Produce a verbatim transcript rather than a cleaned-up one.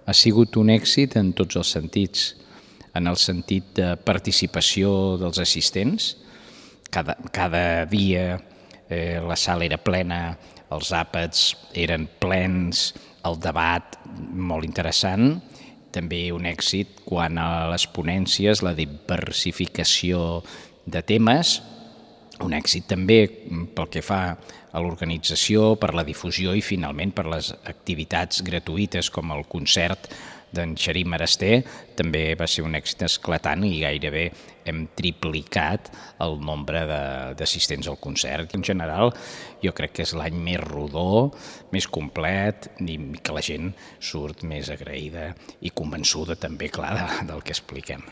ha sigut un èxit en tots els sentits, en el sentit de participació dels assistents. Cada, cada dia eh, la sala era plena, els àpats eren plens, el debat molt interessant. També un èxit quan a les ponències, la diversificació de temes, un èxit també pel que fa a l'organització, per la difusió i finalment per les activitats gratuïtes com el concert d'en Xarim Araster. També va ser un èxit esclatant i gairebé hem triplicat el nombre d'assistents al concert. En general, jo crec que és l'any més rodó, més complet i que la gent surt més agraïda i convençuda també, clar, del que expliquem.